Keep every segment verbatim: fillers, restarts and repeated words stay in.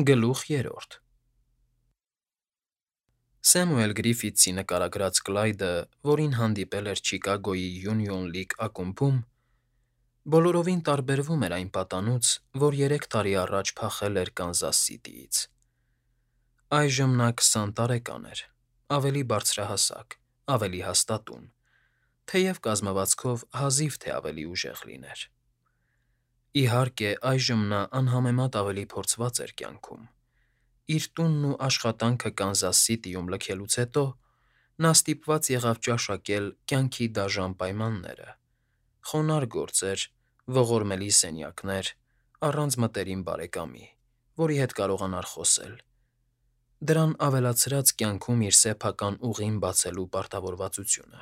Գլուխ երրորդ Սեմուել Գրիֆիթսի նկարագրած Կլայդը, որին հանդիպել էր Չիկագոյի Յունիոն Լիգ ակումբում, բոլորովին տարբերվում էր այն պատանուց, որ երեք տարի առաջ փախել էր Կանզաս Սիթիից. Այժմ նա քսան տարեկան էր, ավելի բարձրահասակ, ավելի հաստատուն, թեև կազմվածքով հազիվ թե ավելի ուժեղ լիներ. Իհարկե, այժմ նա անհամեմատ ավելի փորձված էր կյանքում. Իր տունն ու աշխատանքը Կանզաս Սիթիում լքելուց հետո նա ստիպված եղավ ճաշակել կյանքի դաժան պայմանները. խոնարհ գործեր, ողորմելի սենյակներ, առանց մտերիմ բարեկամի, որի հետ կարողանար խոսել, դրան ավելացրած կյանքում իր սեփական ուղին բացելու պարտավորվածությունը.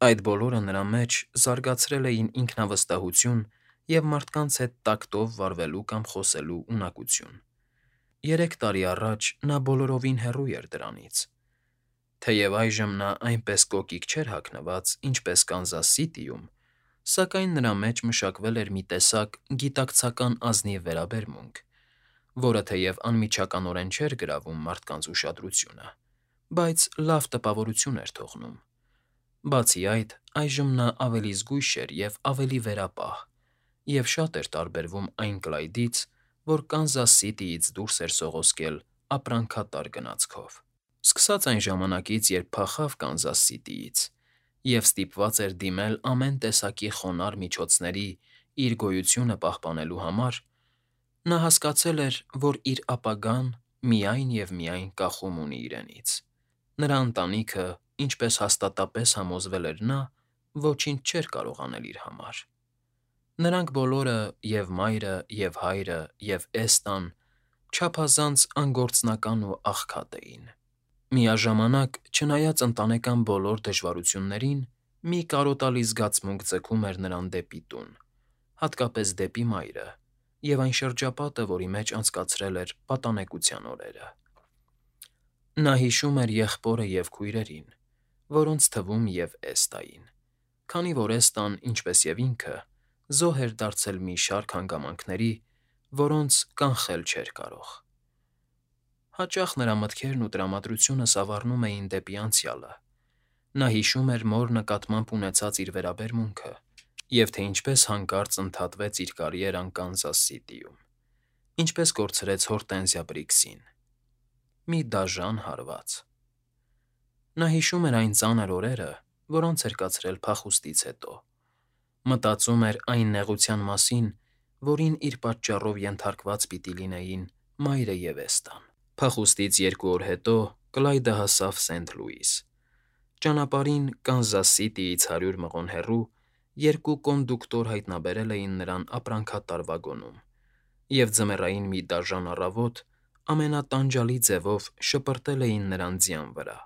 այդ բոլորը նրա մեջ զարգացրել էին ինքնավստահություն և մարդկանց հետ տակտով վարվելու կամ խոսելու ունակություն. Երեք տարի առաջ նա բոլորովին հեռու էր դրանից. թեև այժմ նա այնպես կոկիկ չէր հագնված, ինչպես Կանզաս Սիթիում, սակայն նրա մեջ մշակվել էր մի տեսակ գիտակցական ազնիվ վերաբերմունք, որը թեև անմիջականորեն չէր գրավում մարդկանց ուշադրությունը, բայց լավ տպավորություն էր թողնում. Բացի այդ, այժմ նա ավելի զգույշ էր և ավելի վերապահ, և շատ էր տարբերվում այն Կլայդից, որ Կանզաս Սիթիից դուրս էր սողոսկել ապրանքատար գնացքով. Սկսած այն ժամանակից, երբ փախավ Կանզաս Սիթիից և ստիպված էր դիմել ամեն տեսակի խոնարհ միջոցների իր գոյությունը պահպանելու համար, նա հասկացել էր, որ իր ապագան միայն և միայն կախում ունի իրենից. նրա ընտանիքը, ինչպես հաստատապես համոզվել էր նա, ոչինչ չէր կարող անել իր համար. նրանք բոլորը՝ և՛ մայրը, և՛ հայրը, և Էստան, չափազանց անգործնական ու աղքատ էին. Միաժամանակ, չնայած ընտանեկան բոլոր դժվարություններին, մի կարոտալի զգացմունք ձգում էր նրան դեպի տուն, հատկապես դեպի մայրը և այն շրջապատը, որի մեջ անցկացրել էր պատանեկության օրերը. Նա հիշում էր եղբորը և քույրերին, որոնց թվում և Էստային, քանի որ Էստան, ինչպես և ինքը, զոհ էր դարձել մի շարք հանգամանքների, որոնց կանխել չէր կարող. Հաճախ նրա մտքերն ու տրամադրությունը սավառնում էին դեպի անցյալը. նա հիշում էր մոր նկատմամբ ունեցած իր վերաբերմունքը և թե ինչպես հանկարծ ընդհատվեց իր կարիերան Կանզաս Սիթիում, ինչպես կորցրեց Հորտենզիա Բրիքսին. մի դաժան հարված. Նա հիշում էր այն ծանր օրերը, որոնց էր կացրել փախուստից հետո, մտածում էր այն նեղության մասին, որին իր պատճառով ենթարկված պիտի լինեին մայրը և Էստան: Փախուստից երկու օր հետո Կլայդը հասավ Սենթ Լուիս. ճանապարհին Կանզաս Սիթիից հարյուր մղոն հեռու երկու կոնդուկտոր հայտնաբերել էին նրան ապրանքատար վագոնում և ձմեռային մի դաժան առավոտ ամենատանջալի ձևով շպրտել էին նրան ձյան վրա,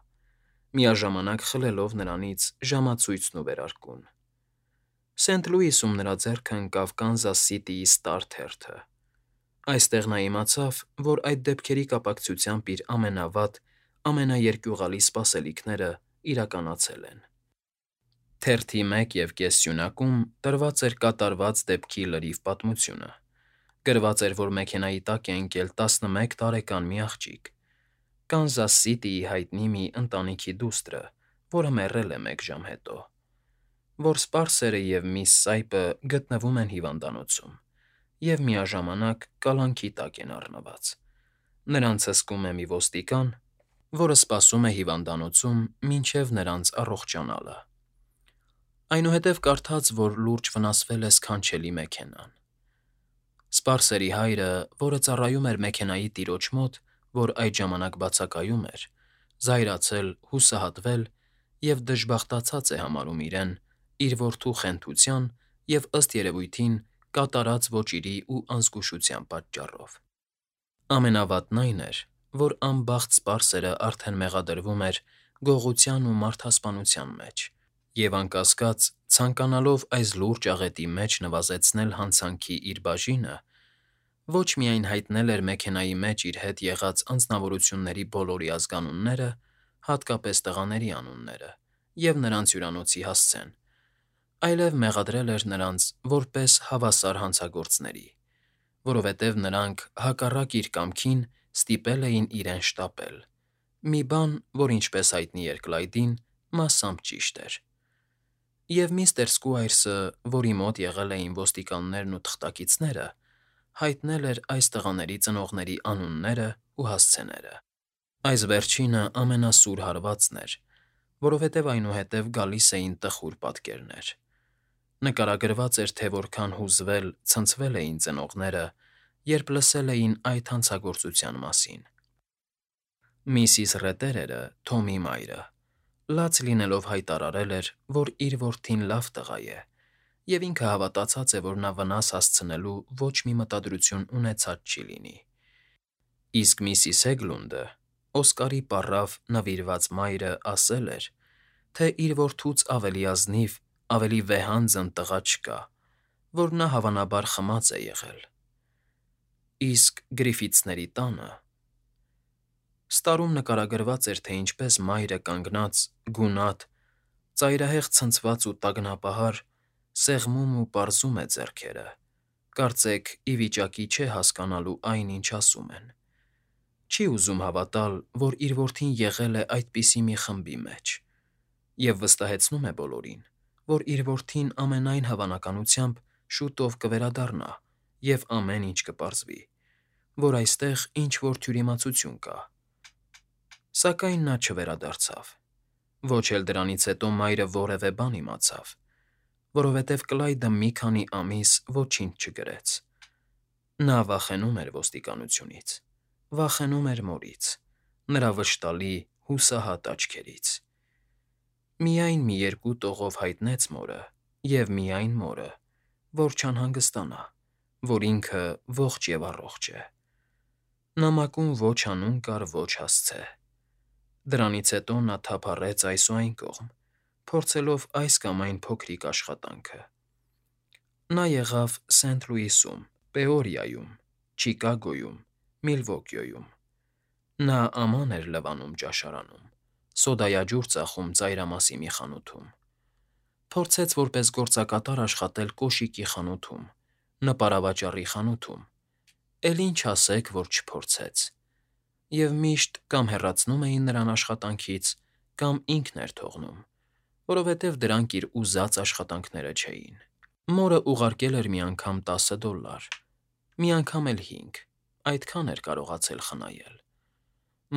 միաժամանակ խլելով նրանից ժամացույցն ու վերարկուն: Սենթ Լուիսում նրա ձեռքը ընկավ Կանզաս Սիթիի Ստար թերթը. այստեղ նա իմացավ, որ այդ դեպքերի կապակցությամբ իր ամենավատ, ամենաերկյուղալի սպասելիքները իրականացել են: Թերթի մեկ և կես սյունակում տրված էր կատարված դեպքի լրիվ պատմությունը. գրված էր, որ մեքենայի տակ է ընկել տասնմեկ տարեկան մի աղջիկ, Կանզաս Սիթիի հայտնի մի ընտանիքի դուստրը, որը մեռել է մեկ ժամ հետո, որ սպարսերը և միս Սայփը գտնվում են հիվանդանոցում և միաժամանակ կալանքի տակ են առնված. նրանց հսկում է մի ոստիկան, որը սպասում է հիվանդանոցում մինչև նրանց առողջանալը: Այնուհետև կարդաց, որ լուրջ վնասվել է սքանչելի մեքենան: Սպարսերի հայրը, որը ծառայում էր մեքենայի տիրոջ մոտ, որ այդ ժամանակ բացակայում էր, զայրացել, հուսահատվել և դժբախտացած է համարում իրեն իր որդու խենթության և, ըստ երևույթին, կատարած ոճիրի ու անզգուշության պատճառով: Ամենավատն այն էր, որ անբախտ սպարսերը արդեն մեղադրվում էր գողության ու մարդասպանության մեջ և, անկասկած, ցանկանալով այս լուրջ աղետի մեջ նվազեցնել հանցանքի իր բաժինը, ոչ միայն հայտնել էր մեքենայի մեջ իր հետ եղած անձնավորությունների բոլորի ազգանունները, հատկապես տղաների անունները և նրանց հյուրանոցի հասցեն, այլև մեղադրել էր նրանց որպես հավասար հանցագործների, որովհետև նրանք, հակառակ իր կամքին, ստիպել էին իրեն շտապել։ Մի բան, որ ինչպես հայտնի էր Կլայդին, մասամբ ճիշտ էր։ Եվ միստր Սկուայրսը, որի մոտ եղել էին ոստիկաններն ու թղթակիցները, հայտնել էր այս տղաների ծնողների անուններն ու հասցեները։ Այս վերջինը ամենասուր հարվածն էր, որովհետև այնուհետև գալիս էին տխուր պատկերներ։ Նկարագրված էր, թե որքան հուզվել, ցնցվել էին ծնողները, երբ լսել էին այդ հանցագործության մասին։ Միսիս Ռետերերը, Թոմի մայրը, լաց լինելով հայտարարել էր, որ իր որդին լավ տղա է, և ինքը հավատացած է, որ նա վնաս հասցնելու ոչ մի մտադրություն ունեցած չի լինի։ Իսկ միսիս Հեգլունդը, Օսկարի պառավ նվիրված մայրը, ասել էր, թե իր որդուց ավելի ազնիվ, ավելի վեհանձն տղա չկա, որ նա հավանաբար խմած է եղել։ Իսկ Գրիֆիթսների տանը… Ստարում նկարագրված էր, թե ինչպես մայրը կանգնած, գունատ, ծայրահեղ ցնցված ու տագնապահար, սեղմում ու պարզում է ձեռքերը, կարծեք ի վիճակի չէ հասկանալու այն, ինչ ասում են։ Չի ուզում հավատալ, որ իր որդին եղել է այդպիսի մի խմբի մեջ, և վստահեցնում է բոլորին, որ իր որդին ամենայն հավանականությամբ շուտով կվերադառնա և ամեն ինչ կպարզվի, որ այստեղ ինչ֊որ թյուրիմացություն կա։ Սակայն նա չվերադարձավ։ Ոչ էլ դրանից հետո մայրը որևէ բան իմացավ, որովհետև Կլայդը մի քանի ամիս ոչինչ չգրեց։ Նա վախենում էր ոստիկանությունից, վախենում էր մորից, նրա վշտալի, հուսահատ աչքերից։ Միայն մի երկու տողով հայտնեց մորը, և միայն մորը, որ չանհանգստանա, որ ինքը ողջ և առողջ է։ Նամակում ոչ անուն կար, ոչ հասցե։ Դրանից հետո նա թափառեց այս ու այն կողմ, փորձելով այս կամ այն փոքրիկ աշխատանքը։ Նա եղավ Սենթ Լուիսում, Պեորիայում, Չիկագոյում, Միլվոքիոյում։ Նա աման էր լվանում ճաշարանում, սոդայաջուր ծախում ծայրամասի մի խանութում։ Փորձեց որպես գործակատար աշխատել կոշիկի խանութում, նպարավաճառի խանութում, էլ ինչ ասեք, որ չփորձեց։ Եվ միշտ կամ հեռացնում էին նրան աշխատանքից, կամ ինքն էր թողնում, որովհետև դրանք իր ուզած աշխատանքները չէին։ Մորը ուղարկել էր մի անգամ տասը դոլլար, մի անգամ էլ հինգ, այդքան էր կարողացել խնայել։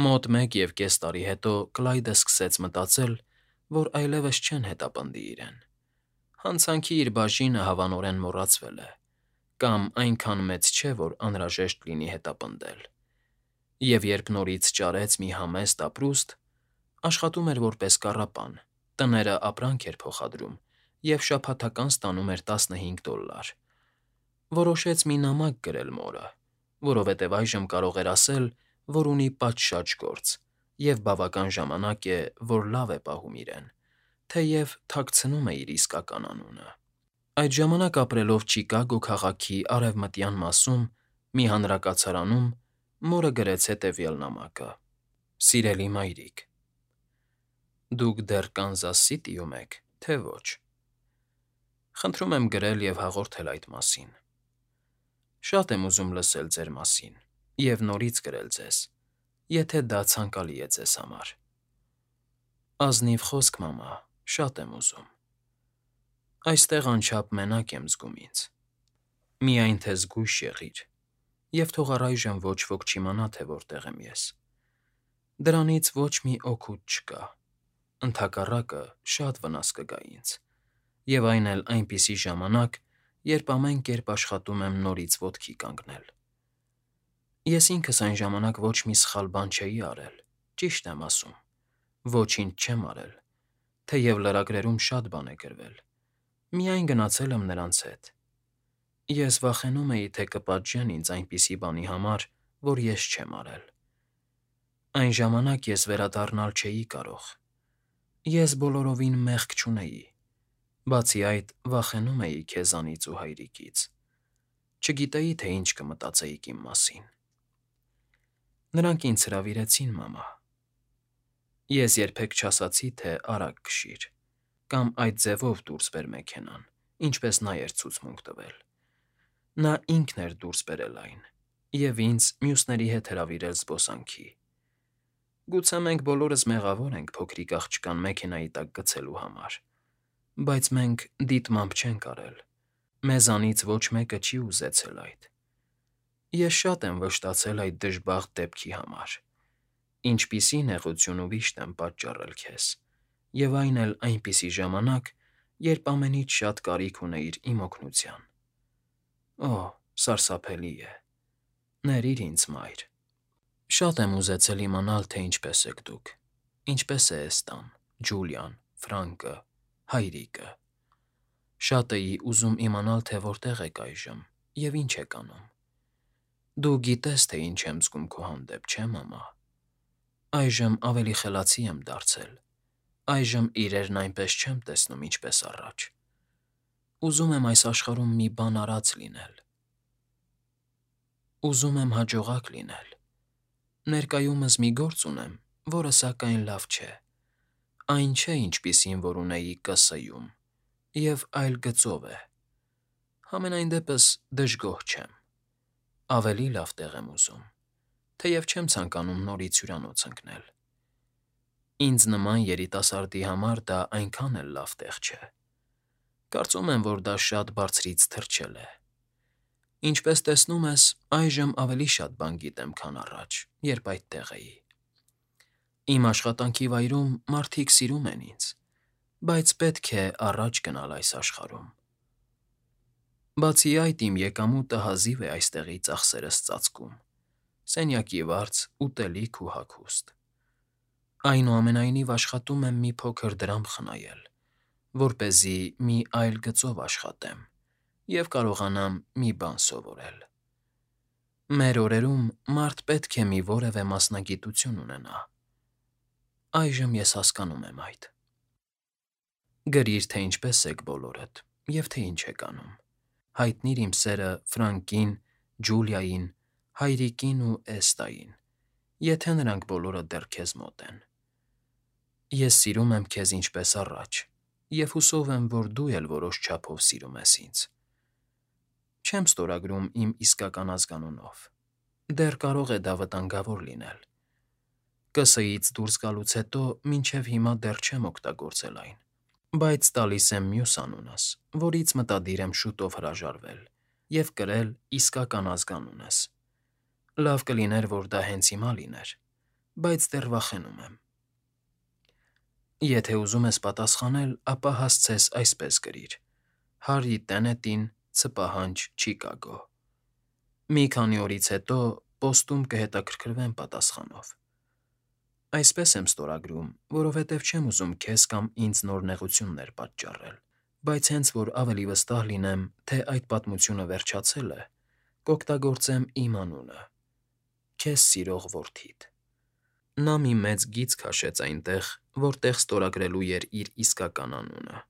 Մոտ մեկ և կես տարի հետո Կլայդը սկսեց մտածել, որ այլևս չեն հետապնդի իրեն։ Հանցանքի իր բաժինը հավանորեն մոռացվել է, կամ այնքան մեծ չէ, որ անհրաժեշտ լինի հետապնդել։ Եվ երբ նորից ճարեց մի համեստ ապրուստ, աշխատում էր որպես կառապան, տները ապրանք էր փոխադրում և շաբաթական ստանում էր տասնհինգ դոլլար, որոշեց մի նամակ գրել մորը, որովհետև այժմ կարող էր ասել, որ ունի պատշաճ գործ և բավական ժամանակ է, որ լավ է պահում իրեն, թեև թաքցնում է իր իսկական անունը։ Այդ ժամանակ ապրելով Չիկագո քաղաքի արևմտյան մասում մի հանրակացարանում, մորը գրեց հետևյալ նամակը. «Սիրելի մայրիկ, դուք դեռ Կանզաս Սիթիում եք, թե ոչ։ Խնդրում եմ գրել և հաղորդել այդ մասին։ Շատ եմ ուզում լսել ձեր մասին և նորից գրել ձեզ, եթե դա ցանկալի է ձեզ համար։ Ազնիվ խոսք, մամա, շատ եմ ուզում։ Այստեղ անչափ մենակ եմ զգում ինձ։ Միայն թե զգույշ եղիր, և թող առայժմ ոչ ոք չիմանա, թե որտեղ եմ ես։ Դրանից ոչ մի օգուտ չկա, ընդհակառակը շատ վնաս կգա ինձ, և այն էլ այնպիսի ժամանակ, երբ ամեն կերպ աշխատում եմ նորից ոտքի կանգնել։ Ես ինքս այն ժամանակ ոչ մի սխալ բան չէի արել, ճիշտ եմ ասում, ոչինչ չեմ արել, թեև լրագրերում շատ բան է գրվել, միայն գնացել եմ նրանց հետ։ Ես վախենում էի, թե կպատժեն ինձ այնպիսի բանի համար, որ ես չեմ արել։ Այն ժամանակ ես վերադառնալ չէի կարող։ Ես բոլորովին մեղք չունեի, բացի այդ, վախենում էի քեզանից ու հայրիկից։ Չգիտեի, թե ինչ կմտածեիք իմ մասին։ Նրանք ինձ հրավիրեցին, մամա։ Ես երբեք չասացի, թե արագ քշիր, կամ այդ ձևով դուրս բեր մեքենան, ինչպես նա էր ցուցմունք տվել։ Նա ինքն էր դուրս բերել այն։ և ինձ մյուսների հետ հրավիրել զբոսանքի։ Գուցե մենք բոլորս մեղավոր ենք փոքրիկ աղջկան մեքենայի տակ գցելու համար, բայց մենք դիտմամբ չենք արել, մեզանից ոչ մեկը չի ուզեցել այդ։ Ես շատ եմ վշտացել այդ դժբախտ դեպքի համար, ինչպիսի նեղություն ու վիշտ եմ պատճառել քեզ, և այն էլ այնպիսի ժամանակ, երբ ամենից շատ կարիք ունեիր իմ օգնության։ Օ՜, սարսափելի է։ Ներիր ինձ, մայր։ Շատ եմ ուզեցել իմանալ, թե ինչպես եք դուք, ինչպես է Էստան, Ջուլիան, Ֆրանկը, հայրիկը։ Շատ էի ուզում իմանալ, թե որտեղ եք այժմ և ինչ եք անում։ Դու գիտես, թե ինչ եմ զգում քո հանդեպ, չէ՞, մամա։ Այժմ ավելի խելացի եմ դարձել, այժմ իրերն այնպես չեմ տեսնում, ինչպես առաջ։ Ուզում եմ այս աշխարհում մի բան արած լինել։ Ուզում եմ հաջողակ լինել։ Ներկայումս մի գործ ունեմ, որը սակայն լավ չէ, այն չէ, ինչպիսին որ ունեի Կ.Ս.-ում, և այլ գծով է։ Համենայն դեպս դժգոհ չեմ։ Ավելի լավ տեղ եմ ուզում, թեև չեմ ցանկանում նորից հյուրանոց ընկնել։ Ինձ նման երիտասարդի համար դա այնքան էլ լավ տեղ չէ։ Կարծում եմ, որ դա շատ բարձրից թռչել է։ Ինչպես տեսնում ես, այժմ ավելի շատ բան գիտեմ, քան առաջ, երբ այդտեղ էի։ Իմ աշխատանքի վայրում մարդիկ սիրում են ինձ, բայց պետք է առաջ գնալ այս աշխարհում։ Բացի այդ, իմ եկամուտը հազիվ է այստեղի ծախսերս ծածկում՝ սենյակի վարձ, ուտելիք ու հագուստ։ Այնուամենայնիվ աշխատում եմ մի փոքր դրամ խնայել, որպեսզի մի այլ գծով աշխատեմ և կարողանամ մի բան սովորել։ Մեր օրերում մարդ պետք է մի որևէ մասնագիտություն ունենա։ Այժմ ես հասկանում եմ այդ։ Գրիր, թե ինչպես եք բոլորդ և թե ինչ եք անում։ Հայտնիր իմ սերը Ֆրանկին, Ջուլիային, հայրիկին ու Էստային, եթե նրանք բոլորը դեռ քեզ մոտ են։ Ես սիրում եմ քեզ ինչպես առաջ և հուսով եմ, որ դու էլ որոշ չափով սիրում ես ինձ։ Չեմ ստորագրում իմ իսկական ազգանունով։ Դեռ կարող է դա վտանգավոր լինել։ Կ.Ս.-ից դուրս գալուց հետո մինչև հիմա դեռ չեմ օգտագործել այն, բայց տալիս եմ մյուս անունս, որից մտադիր եմ շուտով հրաժարվել և կրել իսկական ազգանունս։ Լավ կլիներ, որ դա հենց հիմա լիներ, բայց դեռ վախենում եմ։ Եթե ուզում ես պատասխանել, ապա հասցես այսպես գրիր. Հարի Տենետին, Ցպահանջ, Չիկագո։ Մի քանի օրից հետո պոստում կհետաքրքրվեմ պատասխանով։ Այսպես եմ ստորագրում, որովհետև չեմ ուզում քեզ կամ ինձ նոր նեղություններ պատճառել, բայց հենց որ ավելի վստահ լինեմ, թե այդ պատմությունը վերջացել է, կօգտագործեմ իմ անունը՝ քեզ սիրող որդիդ։ Նա մի մեծ գիծ քաշեց այնտեղ, որտեղ ստորագրելու էր իր իսկական անունը։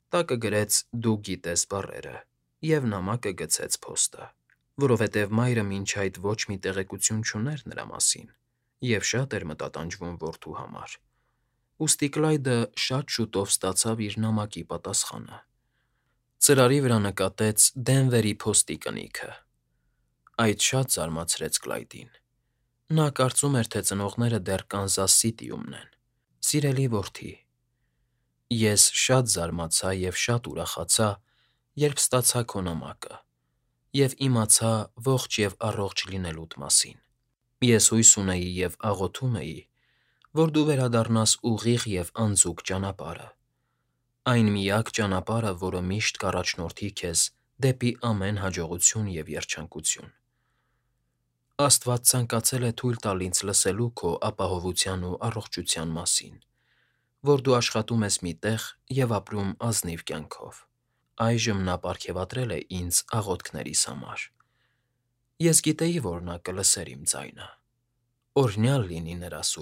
Տակը գրեց «Դու գիտես» բառերը և նամակը գցեց փոստը, որովհետև մայրը մինչ այդ ոչ մի տեղեկություն չուներ նրա մասին և շատ էր մտատանջվում որդու համար, ուստի Կլայդը շատ շուտով ստացավ իր նամակի պատասխանը։ Ծրարի վրա նկատեց Դենվերի փոստի կնիքը։ Այդ շատ զարմացրեց Կլայդին։ Նա կարծում էր, թե ծնողները դեռ Կանզաս Սիթիումն են։ Սիրելի որդի, ես շատ զարմացա և շատ ուրախացա, երբ ստացա քո նամակը և իմացա ողջ և առողջ լինելուդ մասին։ Ես հույս ունեի և աղոթում էի, որ դու վերադառնաս ուղիղ և անձուկ ճանապարհը, այն միակ ճանապարհը, որը միշտ կառաջնորդի քեզ դեպի ամեն հաջողություն և երջանկություն։ Աստված ցանկացել է թույլ տալ ինձ լսելու քո ապահովության ու առողջության մասին, որ դու աշխատում ես մի տեղ և ապրում ազնիվ կյանքով։ Այժմ նա պարգևատրել է ինձ աղոթքներիս համար։ Ես գիտեի, որ նա կլսեր իմ ձայնը։ Օրհնյալ լինի նրա